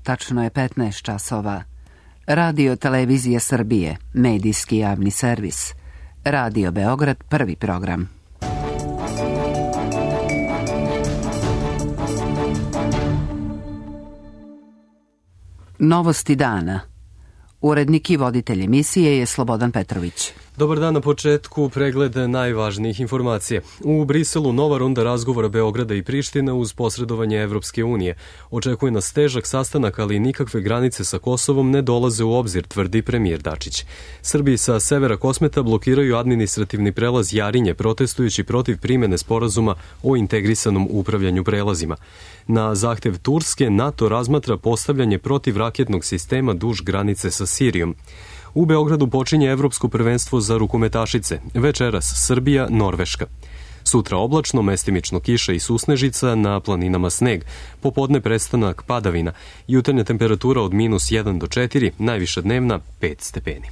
tačno je 15 časova. Radio Televizija Srbije, medijski javni servis. Radio Beograd, prvi program. Novosti dana. Urednik i voditelj emisije je Slobodan Petrović. Dobar dan, na početku pregled najvažnijih informacija. U Briselu nova runda razgovora Beograda i Prištine uz posredovanje Evropske unije. Očekuje nas težak sastanak, ali nikakve granice sa Kosovom ne dolaze u obzir, tvrdi premijer Dačić. Srbi sa severa Kosmeta blokiraju administrativni prelaz Jarinje, protestujući protiv primene sporazuma o integrisanom upravljanju prelazima. Na zahtev Turske, NATO razmatra postavljanje protivraketnog sistema duž granice sa Sirijom. U Beogradu počinje Evropsko prvenstvo za rukometašice. Večeras Srbija, Norveška. Sutra oblačno, mestimično kiša i susnežica, na planinama sneg. Popodne prestanak padavina. Jutarnja temperatura od -1 do 4, najviša dnevna 5 stepeni.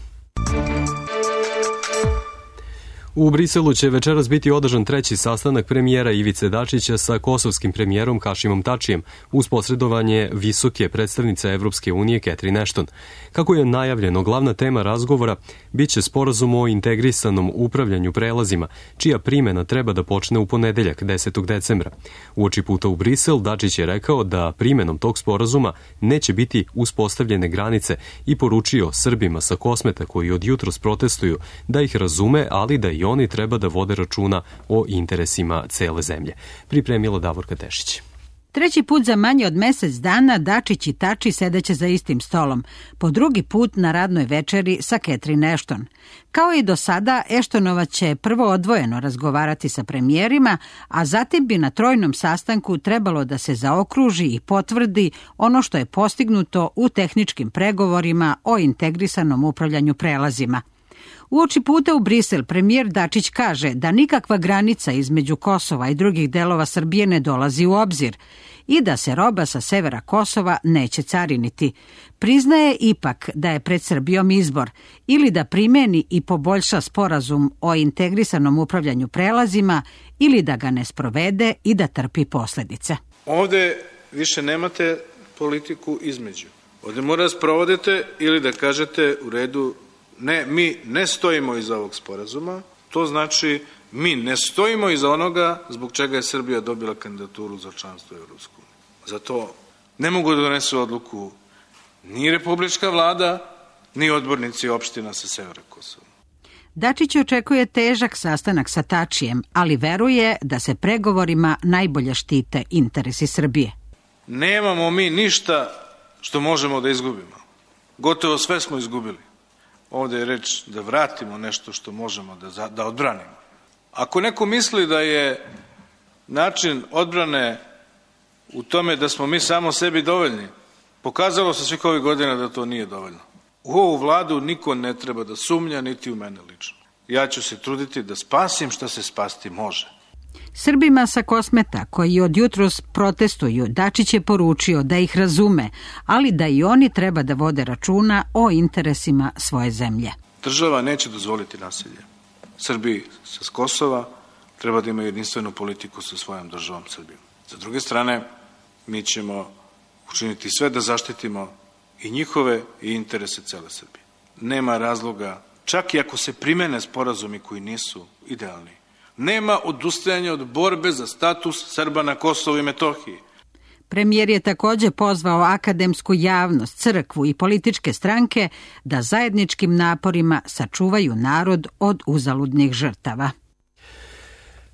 U Briselu će večeras biti održan treći sastanak premijera Ivice Dačića sa kosovskim premijerom Hašimom Tačijem uz posredovanje visoke predstavnice Evropske unije Catherine Ashton. Kako je najavljeno, glavna tema razgovora biće sporazum o integrisanom upravljanju prelazima, čija primjena treba da počne u ponedeljak 10. decembra. Uoči puta u Brisel, Dačić je rekao da primjenom tog sporazuma neće biti uspostavljene granice i poručio Srbima sa Kosmeta koji od jutros protestuju da ih razume, ali da i oni treba da vode računa o interesima cele zemlje. Pripremila Davorka Tešić. Treći put za manje od mesec dana Dačić i Tači sedeće za istim stolom, po drugi put na radnoj večeri sa Catherine Ashton. Kao i do sada, Ashtonova će prvo odvojeno razgovarati sa premijerima, a zatim bi na trojnom sastanku trebalo da se zaokruži i potvrdi ono što je postignuto u tehničkim pregovorima o integrisanom upravljanju prelazima. Uoči puta u Brisel premijer Dačić kaže da nikakva granica između Kosova i drugih delova Srbije ne dolazi u obzir i da se roba sa severa Kosova neće cariniti. Priznaje ipak da je pred Srbijom izbor ili da primeni i poboljša sporazum o integrisanom upravljanju prelazima ili da ga ne sprovede i da trpi posledice. Ovde više nemate politiku između. Ovde mora sprovodite ili da kažete u redu ne, mi ne stojimo iza ovog sporazuma, to znači mi ne stojimo iza onoga zbog čega je Srbija dobila kandidaturu za članstvo u Evropsku uniju. Zato ne mogu da donesu odluku ni republička vlada, ni odbornici opština sa severa Kosova. Dačić očekuje težak sastanak sa Tačijem, ali veruje da se pregovorima najbolje štite interesi Srbije. Nemamo mi ništa što možemo da izgubimo. Gotovo sve smo izgubili. Ovde je reč da vratimo nešto što možemo da odbranimo. Ako neko misli da je način odbrane u tome da smo mi samo sebi dovoljni, pokazalo se svih ovih godina da to nije dovoljno. U ovu vladu niko ne treba da sumnja, niti u mene lično. Ja ću se truditi da spasim šta se spasti može. Srbima sa Kosmeta, koji od jutros protestuju, Dačić je poručio da ih razume, ali da i oni treba da vode računa o interesima svoje zemlje. Država neće dozvoliti nasilje. Srbi sa Kosova treba da imaju jedinstvenu politiku sa svojom državom Srbijom. Sa druge strane, mi ćemo učiniti sve da zaštitimo i njihove i interese cele Srbije. Nema razloga, čak i ako se primene sporazumi koji nisu idealni, nema odustajanja od borbe za status Srba na Kosovu i Metohiji. Premijer je također pozvao akademsku javnost, crkvu i političke stranke da zajedničkim naporima sačuvaju narod od uzaludnih žrtava.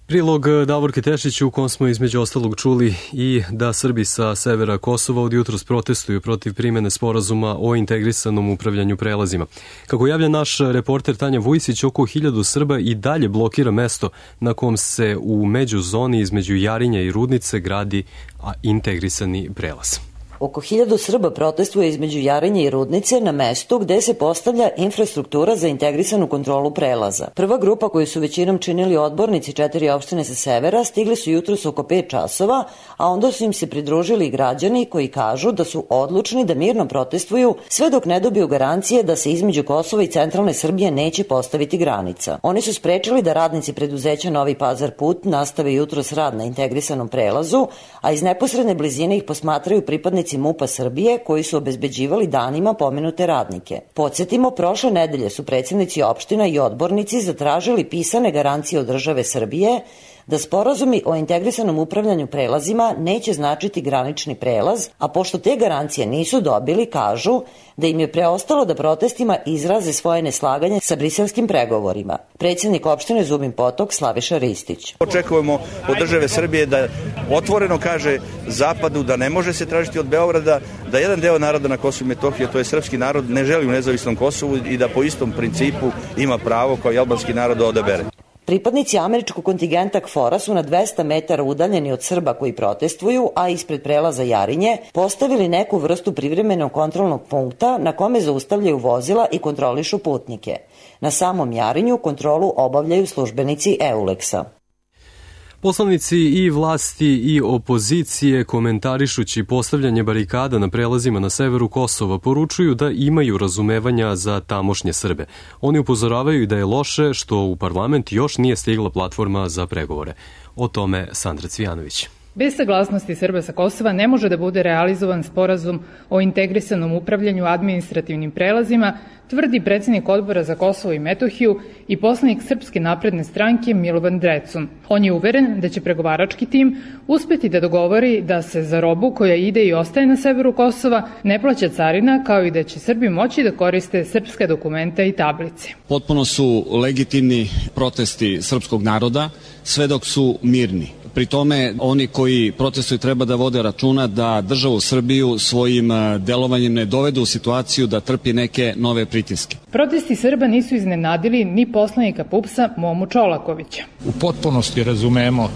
Prilog Davorke Tešić u kom smo između ostalog čuli i da Srbi sa severa Kosova od jutros protestuju protiv primene sporazuma o integrisanom upravljanju prelazima. Kako javlja naš reporter Tanja Vujsić, oko 1000 Srba i dalje blokira mesto na kom se u međuzoni između Jarinja i Rudnice gradi integrisani prelaz. Oko 1000 Srba protestuje između Jarinja i Rudnice na mestu gde se postavlja infrastruktura za integrisanu kontrolu prelaza. Prva grupa koju su većinom činili odbornici 4 opštine sa severa stigli su jutros oko 5 časova, a onda su im se pridružili i građani koji kažu da su odlučni da mirno protestuju sve dok ne dobiju garancije da se između Kosova i centralne Srbije neće postaviti granica. Oni su sprečili da radnici preduzeća Novi Pazar put nastave jutros rad na integrisanom prelazu, a iz neposredne blizine ih posmatraju pripadnici pripadnici MUP-a Srbije koji su obezbeđivali danima pomenute radnike. Podsjetimo, prošle nedelje su predsjednici opština i odbornici zatražili pisane garancije od države Srbije da sporazumi o integrisanom upravljanju prelazima neće značiti granični prelaz, a pošto te garancije nisu dobili, kažu da im je preostalo da protestima izraze svoje neslaganje sa briselskim pregovorima. Predsjednik opštine Zubin Potok Slaviša Ristić. Očekujemo od države Srbije da otvoreno kaže Zapadu da ne može se tražiti od Beograda da jedan deo naroda na Kosovu i Metohiji, to je srpski narod, ne želi u nezavisnom Kosovu i da po istom principu ima pravo kao i albanski narod da odabere. Pripadnici američkog kontingenta KFOR-a su na 200 metara udaljeni od Srba koji protestuju, a ispred prelaza Jarinje postavili neku vrstu privremenog kontrolnog punkta na kome zaustavljaju vozila i kontrolišu putnike. Na samom Jarinju kontrolu obavljaju službenici EULEX-a. Poslanici i vlasti i opozicije, komentarišući postavljanje barikada na prelazima na severu Kosova, poručuju da imaju razumevanja za tamošnje Srbe. Oni upozoravaju da je loše što u parlament još nije stigla platforma za pregovore. O tome Sandra Cvijanović. Bez saglasnosti Srba sa Kosova ne može da bude realizovan sporazum o integrisanom upravljanju administrativnim prelazima, tvrdi predsjednik Odbora za Kosovo i Metohiju i poslanik Srpske napredne stranke Milovan Drecun. On je uveren da će pregovarački tim uspeti da dogovori da se za robu koja ide i ostaje na severu Kosova ne plaća carina, kao i da će Srbi moći da koriste srpske dokumenta i tablice. Potpuno su legitimni protesti srpskog naroda, sve dok su mirni. Pri tome, oni koji protestuju treba da vode računa da državu Srbiju svojim delovanjem ne dovedu u situaciju da trpi neke nove pritiske. Protesti Srba nisu iznenadili ni poslanika PUPS-a Momu Čolakovića. U potpunosti razumemo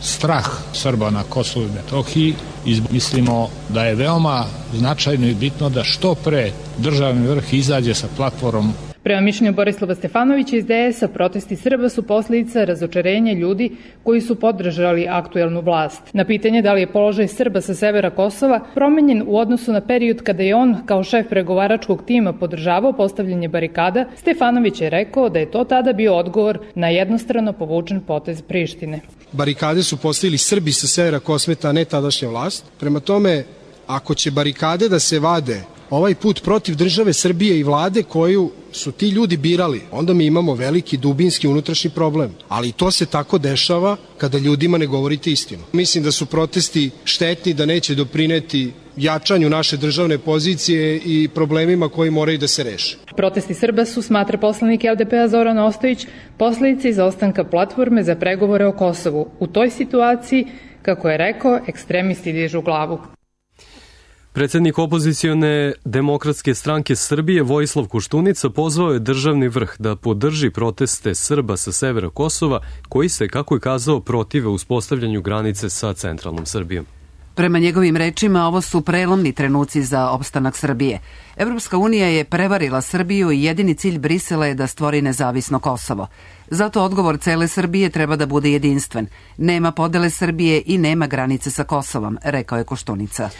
strah Srba na Kosovu i Metohiji i mislimo da je veoma značajno i bitno da što pre državni vrh izađe sa platformom. Prema mišljenju Borislava Stefanovića iz DS-a, protesti Srba su posljedica razočarenja ljudi koji su podržali aktuelnu vlast. Na pitanje da li je položaj Srba sa severa Kosova promenjen u odnosu na period kada je on kao šef pregovaračkog tima podržavao postavljanje barikada, Stefanović je rekao da je to tada bio odgovor na jednostrano povučen potez Prištine. Barikade su postavili Srbi sa severa Kosmeta, a ne tadašnja vlast. Prema tome, ako će barikade da se vade ovaj put protiv države Srbije i vlade koju su ti ljudi birali, onda mi imamo veliki dubinski unutrašnji problem. Ali to se tako dešava kada ljudima ne govorite istinu. Mislim da su protesti štetni, da neće doprineti jačanju naše državne pozicije i problemima koji moraju da se reše. Protesti Srba su, smatra poslanik LDP-a Zoran Ostojić, posledica izostanka platforme za pregovore o Kosovu. U toj situaciji, kako je rekao, ekstremisti dižu glavu. Predsjednik opozicione Demokratske stranke Srbije Vojislav Koštunica pozvao je državni vrh da podrži proteste Srba sa severa Kosova koji se, kako je kazao, protive uspostavljanju granice sa centralnom Srbijom. Prema njegovim rečima, ovo su prelomni trenuci za opstanak Srbije. Evropska unija je prevarila Srbiju i jedini cilj Brisela je da stvori nezavisno Kosovo. Zato odgovor cele Srbije treba da bude jedinstven. Nema podele Srbije i nema granice sa Kosovom, rekao je Koštunica.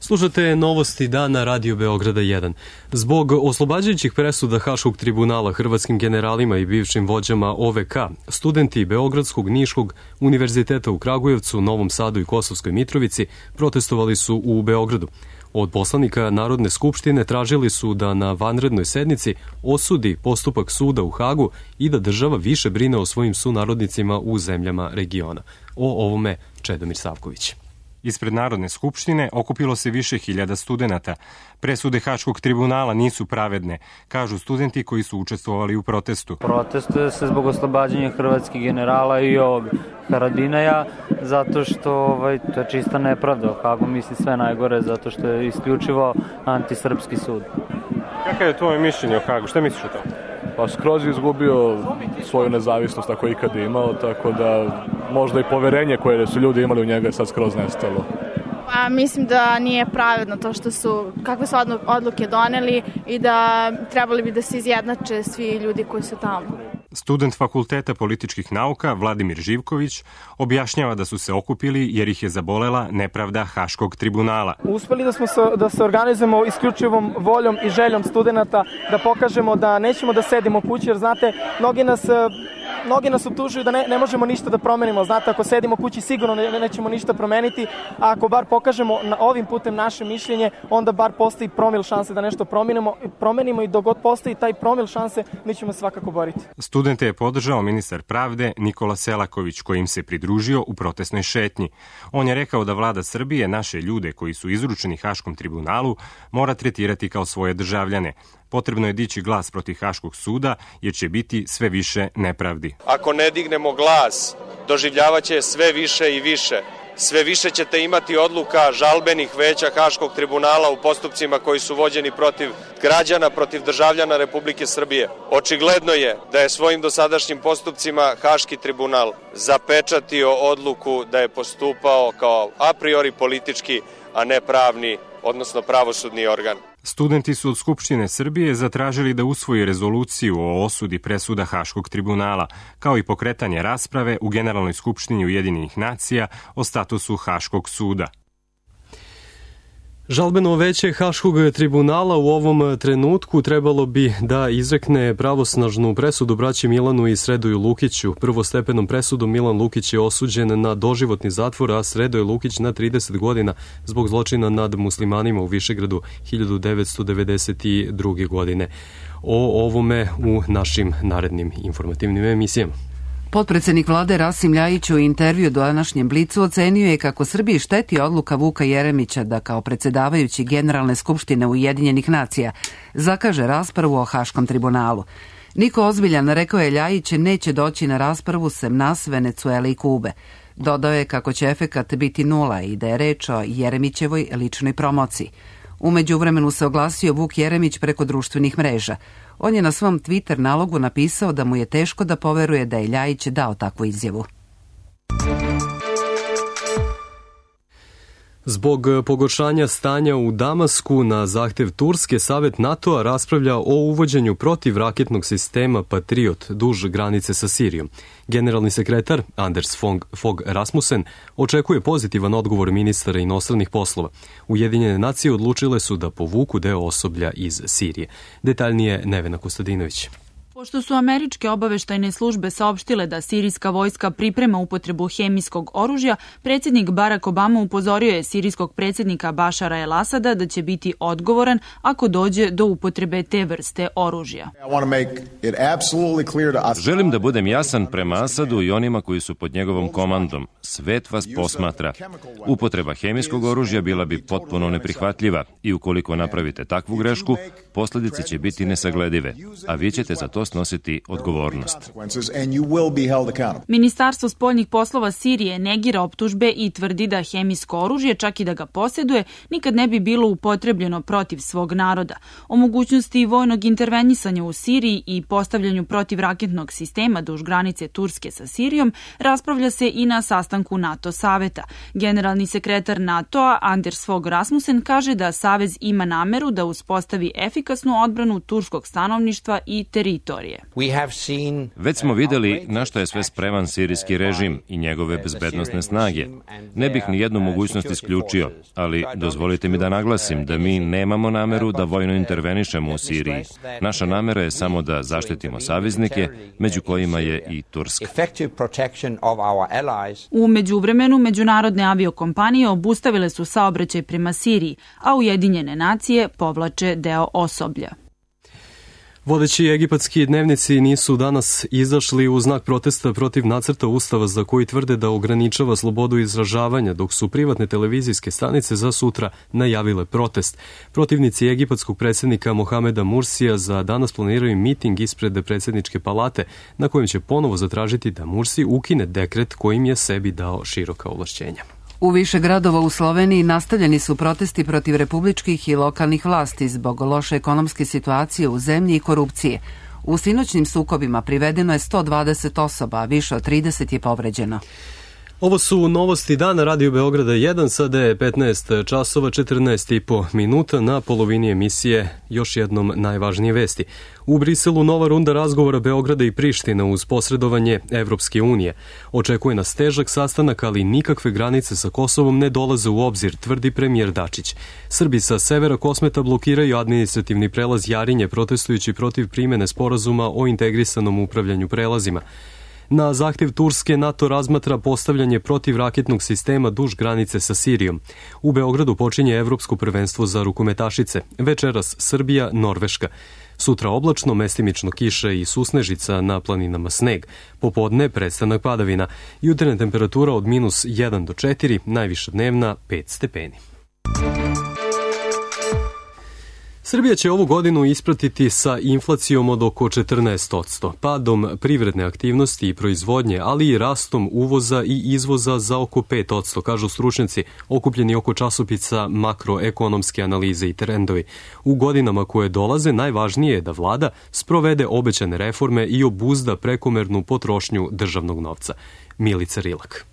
Slušate novosti dana Radio Beograda 1. Zbog oslobađajućih presuda Haškog tribunala hrvatskim generalima i bivšim vođama OVK, studenti Beogradskog, Niškog, Univerziteta u Kragujevcu, Novom Sadu i Kosovskoj Mitrovici protestovali su u Beogradu. Od poslanika Narodne skupštine tražili su da na vanrednoj sednici osudi postupak suda u Hagu i da država više brine o svojim sunarodnicima u zemljama regiona. O ovome Čedomir Savković. Ispred Narodne skupštine okupilo se više hiljada studenata. Presude Haškog tribunala nisu pravedne, kažu studenti koji su učestvovali u protestu. Protestuje se zbog oslobađanja hrvatskih generala i ovog Haradinaja, zato što to je čista nepravda. U Hagu misli sve najgore, zato što je isključivo antisrpski sud. Kakav je tvoje mišljenje o Hagu? Šta misliš o tome? Pa skroz je izgubio svoju nezavisnost ako je ikad imao, tako da možda i poverenje koje su ljudi imali u njega je sad skroz nestalo. Pa mislim da nije pravedno to što su, kakve su odluke doneli i da trebali bi da se izjednače svi ljudi koji su tamo. Student Fakulteta političkih nauka Vladimir Živković objašnjava da su se okupili jer ih je zabolela nepravda Haškog tribunala. Uspeli da se organizujemo isključivom voljom i željom studenta, da pokažemo da nećemo da sedimo kući, jer znate, mnogi nas mnogi nas optužuju da ne možemo ništa da promenimo. Znate, ako sedimo kući sigurno nećemo ništa promeniti, a ako bar pokažemo ovim putem naše mišljenje, onda bar postoji promil šanse da nešto promenimo i dok god postoji taj promil šanse, mi ćemo svakako boriti. Studente je podržao ministar pravde Nikola Selaković, kojim se pridružio u protestnoj šetnji. On je rekao da vlada Srbije naše ljude koji su izručeni Haškom tribunalu mora tretirati kao svoje državljane. Potrebno je dići glas protiv Haškog suda jer će biti sve više nepravdi. Ako ne dignemo glas, doživljavaće sve više i više. Sve više ćete imati odluka žalbenih veća Haškog tribunala u postupcima koji su vođeni protiv građana, protiv državljana Republike Srbije. Očigledno je da je svojim dosadašnjim postupcima Haški tribunal zapečatio odluku da je postupao kao a priori politički, a ne pravni, odnosno pravosudni organ. Studenti su od Skupštine Srbije zatražili da usvoji rezoluciju o osudi presuda Haškog tribunala, kao i pokretanje rasprave u Generalnoj skupštini Ujedinjenih nacija o statusu Haškog suda. Žalbeno veće Haškog tribunala u ovom trenutku trebalo bi da izrekne pravosnažnu presudu braći Milanu i Sredoju Lukiću. Prvostepenom presudom Milan Lukić je osuđen na doživotni zatvor, a Sredoje Lukić na 30 godina zbog zločina nad muslimanima u Višegradu 1992. godine. O ovome u našim narednim informativnim emisijama. Potpredsednik vlade Rasim Ljajić u intervju današnjem Blicu ocenio je kako Srbiji šteti odluka Vuka Jeremića da kao predsedavajući Generalne skupštine Ujedinjenih nacija zakaže raspravu o Haškom tribunalu. Niko ozbiljan, rekao je Ljajić, neće doći na raspravu sem nas, Venecuele i Kube. Dodao je kako će efekat biti nula i da je reč o Jeremićevoj ličnoj promociji. U međuvremenu se oglasio Vuk Jeremić preko društvenih mreža. On je na svom Twitter nalogu napisao da mu je teško da poveruje da je Ljajić dao takvu izjavu. Zbog pogoršanja stanja u Damasku na zahtev Turske, Savet NATO-a raspravlja o uvođenju protivraketnog sistema Patriot duž granice sa Sirijom. Generalni sekretar Anders Fogh Rasmussen očekuje pozitivan odgovor ministara inostranih poslova. Ujedinjene nacije odlučile su da povuku deo osoblja iz Sirije. Detaljnije Nevena Kostadinović. Pošto su američke obaveštajne službe saopštile da sirijska vojska priprema upotrebu hemijskog oružja, predsjednik Barack Obama upozorio je sirijskog predsjednika Bašara el-Asada da će biti odgovoran ako dođe do upotrebe te vrste oružja. Želim da budem jasan prema Asadu i onima koji su pod njegovom komandom. Svet vas posmatra. Upotreba hemijskog oružja bila bi potpuno neprihvatljiva i ukoliko napravite takvu grešku, posljedice će biti nesagledive, a vi ćete za to snositi odgovornost. Ministarstvo spoljnih poslova Sirije negira optužbe i tvrdi da hemijsko oružje, čak i da ga posjeduje, nikad ne bi bilo upotrebljeno protiv svog naroda. O mogućnosti vojnog intervenisanja u Siriji i postavljanju protivraketnog sistema duž granice Turske sa Sirijom raspravlja se i na sastanku NATO saveta. Generalni sekretar NATO-a Anders Fogh Rasmussen kaže da savez ima nameru da uspostavi efikasnu odbranu turskog stanovništva i teritorije. Već smo videli na što je sve spreman sirijski režim i njegove bezbednosne snage. Ne bih ni jednu mogućnost isključio, ali dozvolite mi da naglasim da mi nemamo nameru da vojno intervenišemo u Siriji. Naša namera je samo da zaštitimo saveznike, među kojima je i Turska. U međuvremenu, međunarodne aviokompanije obustavile su saobraćaj prema Siriji, a Ujedinjene nacije povlače deo osoblja. Vodeći egipatski dnevnici nisu danas izašli u znak protesta protiv nacrta ustava za koji tvrde da ograničava slobodu izražavanja, dok su privatne televizijske stanice za sutra najavile protest. Protivnici egipatskog predsjednika Mohameda Mursija za danas planiraju miting ispred predsjedničke palate, na kojem će ponovo zatražiti da Mursi ukine dekret kojim je sebi dao široka ovlašćenja. U više gradova u Sloveniji nastavljeni su protesti protiv republičkih i lokalnih vlasti zbog loše ekonomske situacije u zemlji i korupcije. U sinoćnim sukobima privedeno je 120 osoba, a više od 30 je povređeno. Ovo su novosti dana Radio Beograda 1, sada je 15 časova 14,5 minuta, na polovini emisije još jednom najvažnije vesti. U Briselu nova runda razgovora Beograda i Priština uz posredovanje Evropske unije. Očekuje nas težak sastanak, ali nikakve granice sa Kosovom ne dolaze u obzir, tvrdi premijer Dačić. Srbi sa severa Kosmeta blokiraju administrativni prelaz Jarinje, protestujući protiv primene sporazuma o integrisanom upravljanju prelazima. Na zahtev Turske NATO razmatra postavljanje protivraketnog sistema duž granice sa Sirijom. U Beogradu počinje Evropsko prvenstvo za rukometašice. Večeras Srbija, Norveška. Sutra oblačno, mestimično kiša i susnežica, na planinama sneg. Popodne prestanak padavina. Jutarnja temperatura od -1 do 4, najviša dnevna 5 stepeni. Srbija će ovu godinu ispratiti sa inflacijom od oko 14%, padom privredne aktivnosti i proizvodnje, ali i rastom uvoza i izvoza za oko 5%, kažu stručnjaci okupljeni oko časopisa Makroekonomske analize i trendovi. U godinama koje dolaze najvažnije je da vlada sprovede obećane reforme i obuzda prekomernu potrošnju državnog novca. Milica Rilak.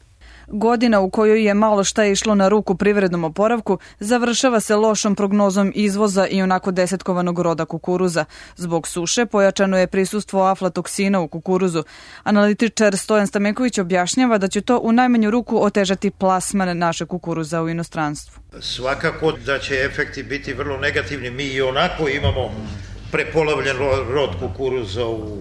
Godina u kojoj je malo šta išlo na ruku privrednom oporavku završava se lošom prognozom izvoza i onako desetkovanog roda kukuruza. Zbog suše pojačano je prisustvo aflatoksina u kukuruzu. Analitičar Stojan Stamenković objašnjava da će to u najmanju ruku otežati plasman naše kukuruza u inostranstvu. Svakako da će efekti biti vrlo negativni. Mi i onako imamo prepolovljen rod kukuruza u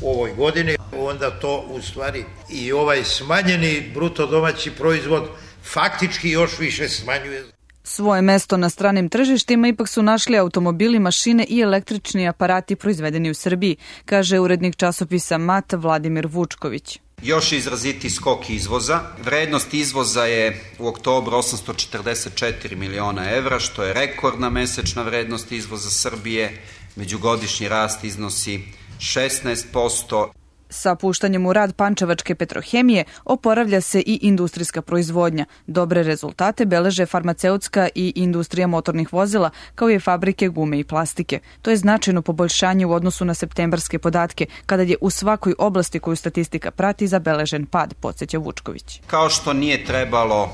ovoj godini, onda to u stvari i ovaj smanjeni bruto domaći proizvod faktički još više smanjuje. Svoje mesto na stranim tržištima ipak su našli automobili, mašine i električni aparati proizvedeni u Srbiji, kaže urednik časopisa MAT Vladimir Vučković. Još izraziti skok izvoza. Vrednost izvoza je u oktobru 844 miliona evra, što je rekordna mesečna vrednost izvoza Srbije. Međugodišnji rast iznosi 16%. Sa puštanjem u rad Pančevačke petrohemije oporavlja se i industrijska proizvodnja. Dobre rezultate beleže farmaceutska i industrija motornih vozila, kao i fabrike gume i plastike. To je značajno poboljšanje u odnosu na septembarske podatke, kada je u svakoj oblasti koju statistika prati zabeležen pad, podsjeća Vučković. Kao što nije trebalo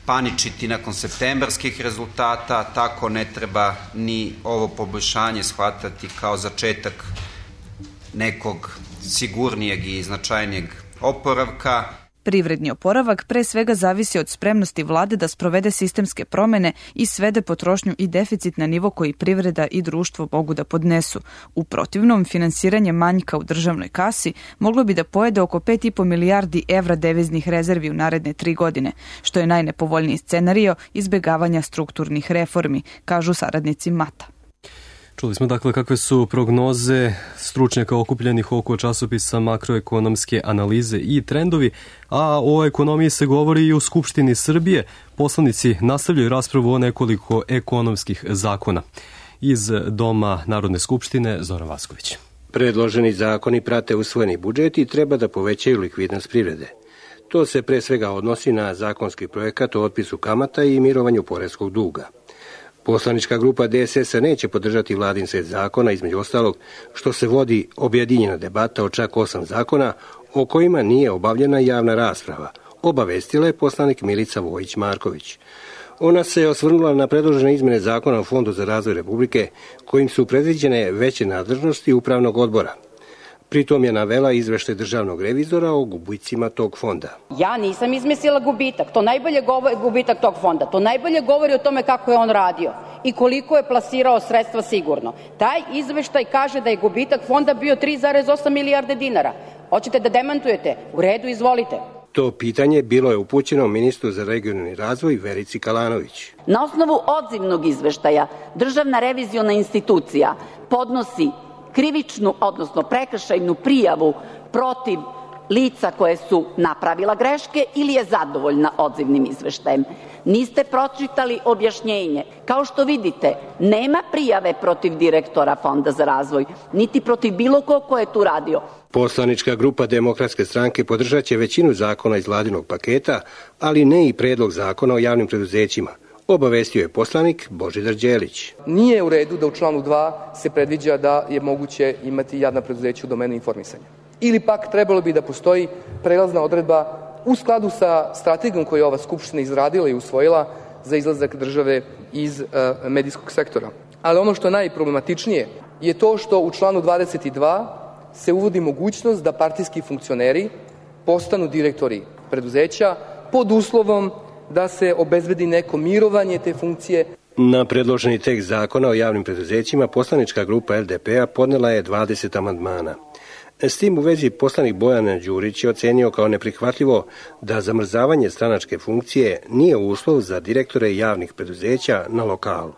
paničiti nakon septembarskih rezultata, tako ne treba ni ovo poboljšanje shvatati kao začetak nekog sigurnijeg i značajnijeg oporavka. Privredni oporavak pre svega zavisi od spremnosti vlade da sprovede sistemske promene i svede potrošnju i deficit na nivo koji privreda i društvo mogu da podnesu. U protivnom, finansiranje manjka u državnoj kasi moglo bi da pojede oko 5,5 milijardi evra deviznih rezervi u naredne 3 godine, što je najnepovoljniji scenario izbegavanja strukturnih reformi, kažu saradnici MAT-a. Čuli smo dakle kakve su prognoze stručnjaka okupljenih oko časopisa Makroekonomske analize i trendovi, a o ekonomiji se govori i u Skupštini Srbije. Poslanici nastavljaju raspravu o nekoliko ekonomskih zakona. Iz Doma Narodne skupštine Zoran Vasković. Predloženi zakoni prate usvojeni budžet i treba da povećaju likvidnost privrede. To se pre svega odnosi na zakonski projekat o otpisu kamata i mirovanju poreskog duga. Poslanička grupa DSS-a neće podržati vladin set zakona, između ostalog što se vodi objedinjena debata o čak 8 zakona o kojima nije obavljena javna rasprava, obavestila je poslanik Milica Vojić-Marković. Ona se osvrnula na predložene izmene zakona o Fondu za razvoj Republike, kojim su predviđene veće nadležnosti upravnog odbora. Pritom je navela izveštaj državnog revizora o gubicima tog fonda. Ja nisam izmislila gubitak, to najbolje govori gubitak tog fonda. To najbolje govori o tome kako je on radio i koliko je plasirao sredstva sigurno. Taj izveštaj kaže da je gubitak fonda bio 3,8 milijarde dinara. Hoćete da demantujete? U redu, izvolite. To pitanje bilo je upućeno ministru za regionalni razvoj Verici Kalanović. Na osnovu odzivnog izveštaja Državna reviziona institucija podnosi krivičnu, odnosno prekršajnu prijavu protiv lica koje su napravila greške ili je zadovoljna odzivnim izveštajem. Niste pročitali objašnjenje. Kao što vidite, nema prijave protiv direktora Fonda za razvoj, niti protiv bilo ko je tu radio. Poslanička grupa Demokratske stranke podržaće većinu zakona iz vladinog paketa, ali ne i predlog zakona o javnim preduzećima. Obavestio je poslanik Božidar Đelić. Nije u redu da u članu 2 se predviđa da je moguće imati javna preduzeća u domenu informisanja. Ili pak trebalo bi da postoji prelazna odredba u skladu sa strategijom koju je ova Skupština izradila i usvojila za izlazak države iz medijskog sektora. Ali ono što je najproblematičnije je to što u članu 22 se uvodi mogućnost da partijski funkcioneri postanu direktori preduzeća pod uslovom da se obezbedi neko mirovanje te funkcije. Na predloženi tekst zakona o javnim preduzećima poslanička grupa LDP-a podnela je 20 amandmana. S tim u vezi poslanik Bojan Đurić je ocenio kao neprihvatljivo da zamrzavanje stranačke funkcije nije uslov za direktore javnih preduzeća na lokalu.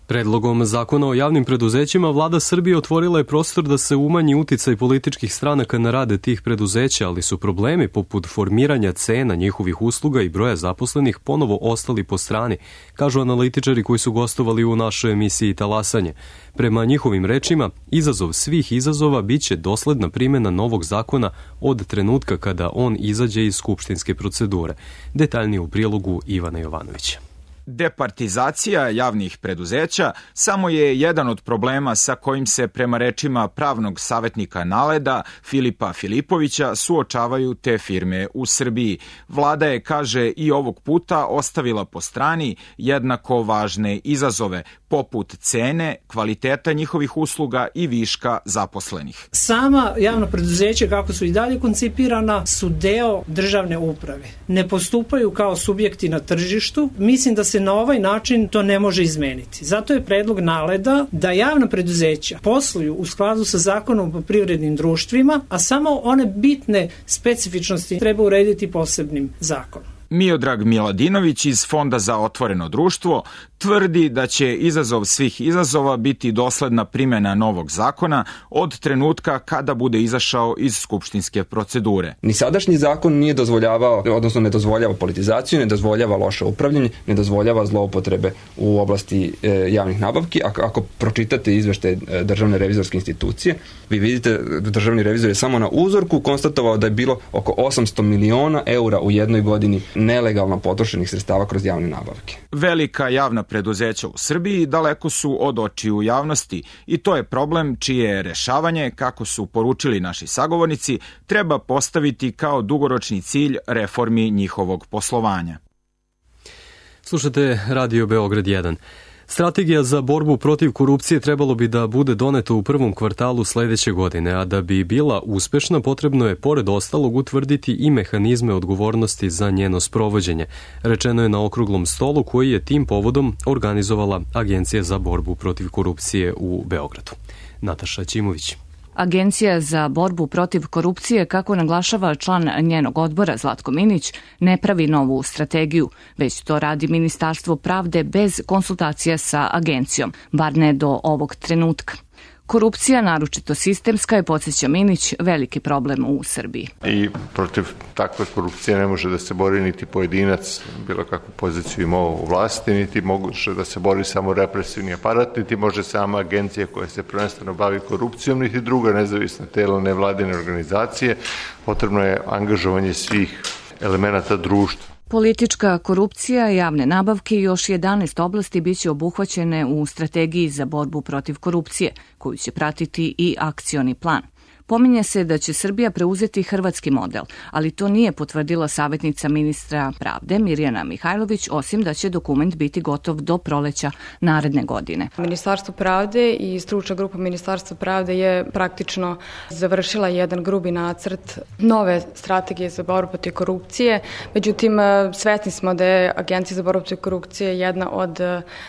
Predlogom zakona o javnim preduzećima vlada Srbije otvorila je prostor da se umanji uticaj političkih stranaka na rade tih preduzeća, ali su problemi poput formiranja cena njihovih usluga i broja zaposlenih ponovo ostali po strani, kažu analitičari koji su gostovali u našoj emisiji Talasanje. Prema njihovim rečima, izazov svih izazova biće dosledna primjena novog zakona od trenutka kada on izađe iz skupštinske procedure. Detaljnije u prilogu Ivana Jovanovića. Departizacija javnih preduzeća samo je jedan od problema sa kojim se prema rečima pravnog savjetnika Naleda Filipa Filipovića suočavaju te firme u Srbiji. Vlada je, kaže, i ovog puta ostavila po strani jednako važne izazove, poput cene, kvaliteta njihovih usluga i viška zaposlenih. Sama javna preduzeća, kako su i dalje koncipirana, su deo državne uprave. Ne postupaju kao subjekti na tržištu. Mislim da se na ovaj način to ne može izmeniti. Zato je predlog Naleda da javna preduzeća posluju u skladu sa zakonom o privrednim društvima, a samo one bitne specifičnosti treba urediti posebnim zakonom. Miodrag Miladinović iz Fonda za otvoreno društvo tvrdi da će izazov svih izazova biti dosledna primjena novog zakona od trenutka kada bude izašao iz skupštinske procedure. Ni sadašnji zakon nije dozvoljavao, odnosno ne dozvoljava politizaciju, ne dozvoljava loše upravljanje, ne dozvoljava zloupotrebe u oblasti javnih nabavki. Ako pročitate izveštaj Državne revizorske institucije, vi vidite da državni revizor je samo na uzorku konstatovao da je bilo oko 800 miliona eura u jednoj godini nelegalno potrošenih sredstava kroz javne nabavke. Velika javna preduzeća u Srbiji daleko su od očiju javnosti i to je problem čije rešavanje, kako su poručili naši sagovornici, treba postaviti kao dugoročni cilj reformi njihovog poslovanja. Slušate Radio Beograd 1. Strategija za borbu protiv korupcije trebalo bi da bude doneta u prvom kvartalu sledeće godine, a da bi bila uspešna potrebno je pored ostalog utvrditi i mehanizme odgovornosti za njeno sprovođenje. Rečeno je na okruglom stolu koji je tim povodom organizovala Agencija za borbu protiv korupcije u Beogradu. Nataša Ćimović. Agencija za borbu protiv korupcije, kako naglašava član njenog odbora Zlatko Minić, ne pravi novu strategiju, već to radi Ministarstvo pravde bez konsultacija sa agencijom, bar ne do ovog trenutka. Korupcija, naročito sistemska, je, podsjeća Minić, veliki problem u Srbiji. I protiv takve korupcije ne može da se bori niti pojedinac, bilo kakvu poziciju imao u vlasti, niti može da se bori samo represivni aparat, niti može sama agencija koja se prvenstveno bavi korupcijom, niti druga nezavisna tela nevladine organizacije. Potrebno je angažovanje svih elemenata društva. Politička korupcija, javne nabavke i još 11 oblasti biće obuhvaćene u strategiji za borbu protiv korupcije, koju će pratiti i akcioni plan. Pominje se da će Srbija preuzeti hrvatski model, ali to nije potvrdila savjetnica ministra pravde Mirjana Mihajlović, osim da će dokument biti gotov do proleća naredne godine. Ministarstvo pravde i stručna grupa Ministarstva pravde je praktično završila jedan grubi nacrt nove strategije za borbu protiv korupcije. Međutim, svesni smo da je Agencija za borbu protiv korupcije jedna od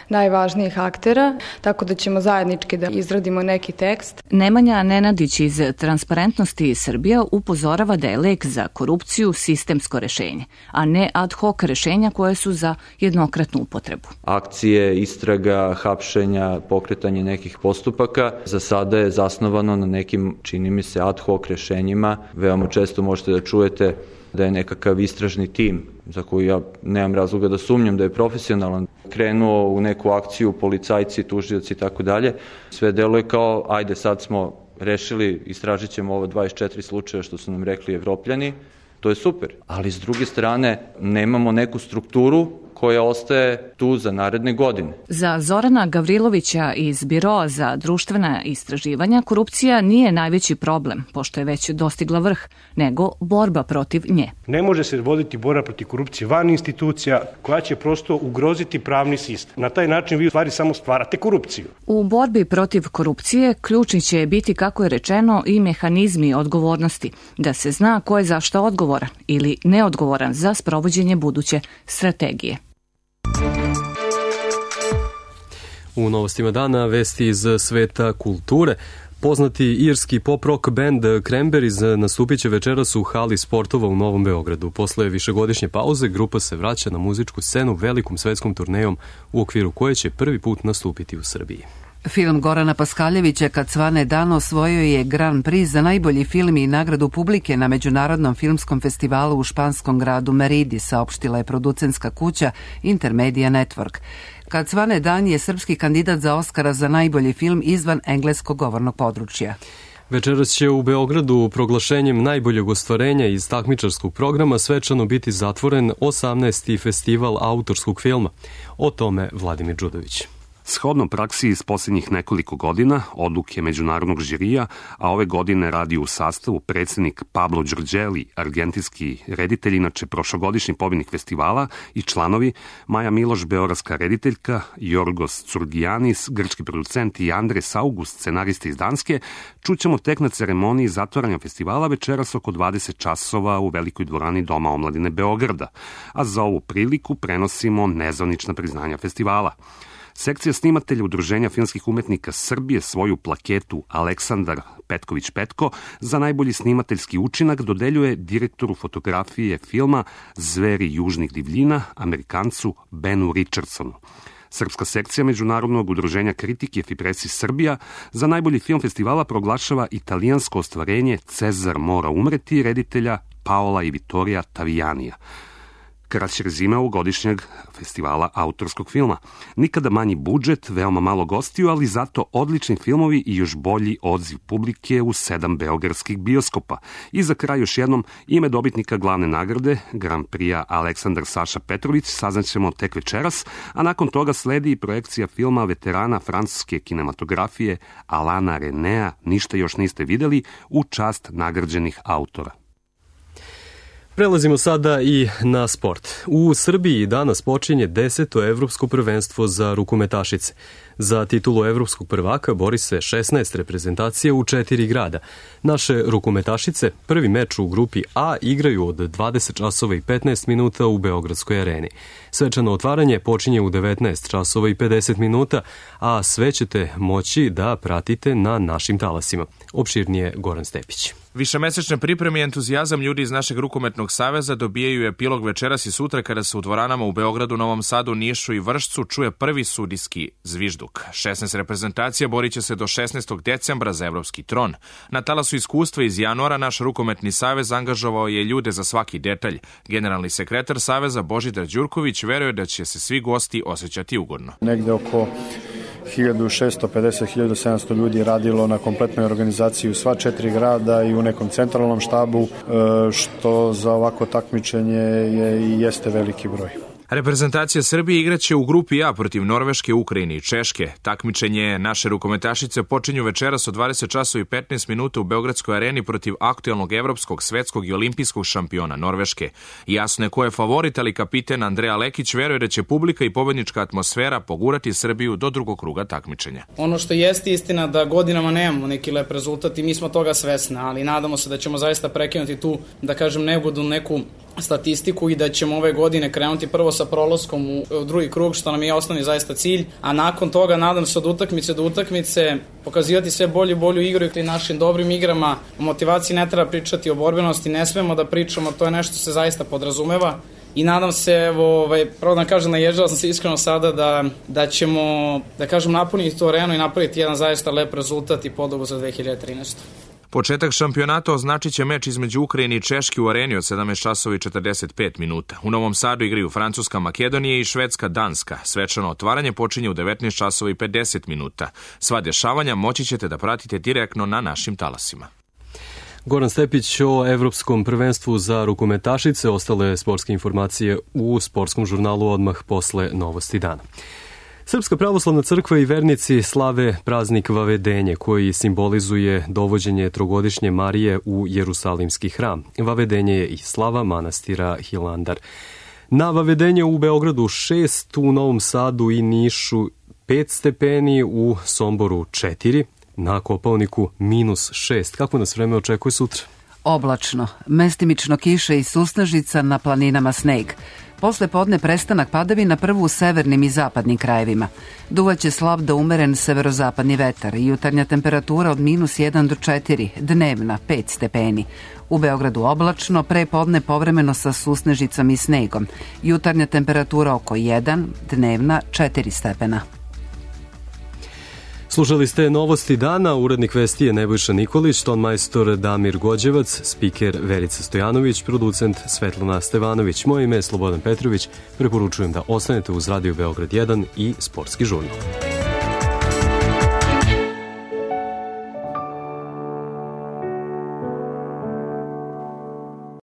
najvažnijih aktera, tako da ćemo zajednički da izradimo neki tekst. Nemanja Nenadić iz Transparentnosti Srbija upozorava da je lek za korupciju sistemsko rešenje, a ne ad hoc rešenja koje su za jednokratnu upotrebu. Akcije, istraga, hapšenja, pokretanje nekih postupaka za sada je zasnovano na nekim, čini mi se, ad hoc rešenjima. Veoma često možete da čujete da je nekakav istražni tim, za koju ja nemam razloga da sumnjam da je profesionalan, krenuo u neku akciju, policajci, tužioci i tako dalje. Sve deluje kao, ajde sad smo rešili, istražit ćemo ovo 24 slučaja što su nam rekli Evropljani, to je super. Ali s druge strane nemamo neku strukturu koja ostaje tu za naredne godine. Za Zorana Gavrilovića iz Biroa za društvena istraživanja korupcija nije najveći problem, pošto je već dostigla vrh, nego borba protiv nje. Ne može se voditi borba protiv korupcije van institucija koja će prosto ugroziti pravni sistem. Na taj način vi u stvari samo stvarate korupciju. U borbi protiv korupcije ključni će biti, kako je rečeno, i mehanizmi odgovornosti, da se zna ko je za šta odgovoran ili neodgovoran za sprovođenje buduće strategije. U novostima dana vesti iz sveta kulture. Poznati irski pop-rock band Cranberries nastupit će večeras u hali sportova u Novom Beogradu. Posle višegodišnje pauze grupa se vraća na muzičku scenu velikom svetskom turnejom u okviru koje će prvi put nastupiti u Srbiji. Film Gorana Paskaljevića Kad svane dan osvojio je Grand Prix za najbolji film i nagradu publike na Međunarodnom filmskom festivalu u španskom gradu Meridi, saopštila je producentska kuća Intermedia Network. Kad svane dan je srpski kandidat za Oskara za najbolji film izvan engleskog govornog područja. Večeras će u Beogradu proglašenjem najboljeg ostvarenja iz takmičarskog programa svečano biti zatvoren 18. festival autorskog filma. O tome Vladimir Đudović. Shodno praksi iz posljednjih nekoliko godina, odluke međunarodnog žirija, a ove godine radi u sastavu predsjednik Pablo Đorđeli, argentinski reditelj, inače prošlogodišnji pobjednik festivala, i članovi Maja Miloš, beogradska rediteljka, Jorgos Curgianis, grčki producent, i Andres August, scenarista iz Danske, čućemo tek na ceremoniji zatvaranja festivala večeras oko 20 časova u velikoj dvorani Doma omladine Beograda, a za ovu priliku prenosimo nezvanična priznanja festivala. Sekcija snimatelja Udruženja filmskih umetnika Srbije svoju plaketu Aleksandar Petković-Petko za najbolji snimateljski učinak dodeljuje direktoru fotografije filma Zveri južnih divljina, Amerikancu Benu Richardsonu. Srpska sekcija Međunarodnog udruženja kritike Fipresi Srbija za najbolji film festivala proglašava italijansko ostvarenje Cezar mora umreti reditelja Paola i Vittorija Tavijanija. Kraći rezime ovogodišnjeg festivala autorskog filma. Nikada manji budžet, veoma malo gostiju, ali zato odlični filmovi i još bolji odziv publike u 7 beogradskih bioskopa. I za kraj još jednom ime dobitnika glavne nagrade, Grand Prix Aleksandar Saša Petrović, saznaćemo tek večeras, a nakon toga sledi i projekcija filma veterana francuske kinematografije Alana Renea Ništa još niste videli u čast nagrađenih autora. Prelazimo sada i na sport. U Srbiji danas počinje 10. evropsko prvenstvo za rukometašice. Za titulu evropskog prvaka bori se 16 reprezentacija u 4 grada. Naše rukometašice prvi meč u grupi A igraju od 20 časova i 15 minuta u Beogradskoj areni. Svečano otvaranje počinje u 19 časova i 50 minuta, a sve ćete moći da pratite na našim talasima. Opširnije Goran Stepić. Višemesečne pripreme i entuzijazam ljudi iz našeg rukometnog saveza dobijaju epilog večeras i sutra kada se u dvoranama u Beogradu, Novom Sadu, Nišu i Vršcu čuje prvi sudijski zvižduk. 16 reprezentacija borit će se do 16. decembra za evropski tron. Na talasu iskustva iz januara naš rukometni savez angažovao je ljude za svaki detalj. Generalni sekretar saveza Božidar Đurković veruje da će se svi gosti osjećati ugodno. Negde oko 1650-1700 ljudi radilo na kompletnoj organizaciji u sva 4 grada i u nekom centralnom štabu, što za ovako takmičenje je i jeste veliki broj. Reprezentacija Srbije igraće u grupi A protiv Norveške, Ukrajine i Češke. Takmičenje naše rukometašice počinju večeras od 20 časova i 15 minuta u Beogradskoj areni protiv aktuelnog evropskog, svetskog i olimpijskog šampiona Norveške. Jasno je ko je favorit, ali kapiten Andreja Lekić veruje da će publika i pobednička atmosfera pogurati Srbiju do drugog kruga takmičenja. Ono što jeste istina da godinama nemamo neki lep rezultat i mi smo toga svesni, ali nadamo se da ćemo zaista prekinuti tu, da kažem, neugodnu neku statistiku i da ćemo ove godine krenuti prvo sa prolaskom u drugi krug, što nam je osnovni zaista cilj, a nakon toga nadam se od utakmice do utakmice pokazivati sve bolju igru i našim dobrim igrama. O motivaciji ne treba pričati, o borbenosti ne smemo da pričamo, to je nešto se zaista podrazumeva. I nadam se, pravo da kažem, naježala sam se iskreno sada da ćemo, da kažem, napuniti tu arenu i napraviti jedan zaista lep rezultat i podobu za 2013. Početak šampionata označit će meč između Ukrajine i Češke u areni od 17 časova i 45 minuta. U Novom Sadu igraju Francuska, Makedonija i Švedska, Danska. Svečano otvaranje počinje u 19 časova i 50 minuta. Sva dešavanja moći ćete da pratite direktno na našim talasima. Goran Stepić o Evropskom prvenstvu za rukometašice. Ostale sportske informacije u sportskom žurnalu odmah posle novosti dana. Srpska pravoslavna crkva i vernici slave praznik Vavedenje, koji simbolizuje dovođenje trogodišnje Marije u Jerusalimski hram. Vavedenje je i slava manastira Hilandar. Na Vavedenje u Beogradu 6, u Novom Sadu i Nišu 5 stepeni, u Somboru 4, na Kopaoniku -6. Kako nas vreme očekuje sutra? Oblačno, mestimično kiše i susnežica, na planinama sneg. Posle podne prestanak padavina, prvo u severnim i zapadnim krajevima. Duvaće slab do umeren severozapadni vetar i jutarnja temperatura od -1 do 4, dnevna 5 stepeni. U Beogradu oblačno, pre podne povremeno sa susnežicom i snegom. Jutarnja temperatura oko 1, dnevna 4 stepena. Slušali ste novosti dana, urednik vesti je Nebojša Nikolić, tonmajstor Damir Gođevac, spiker Verica Stojanović, producent Svetlana Stevanović. Moje ime je Slobodan Petrović, preporučujem da ostanete uz Radio Beograd 1 i Sportski žurnal.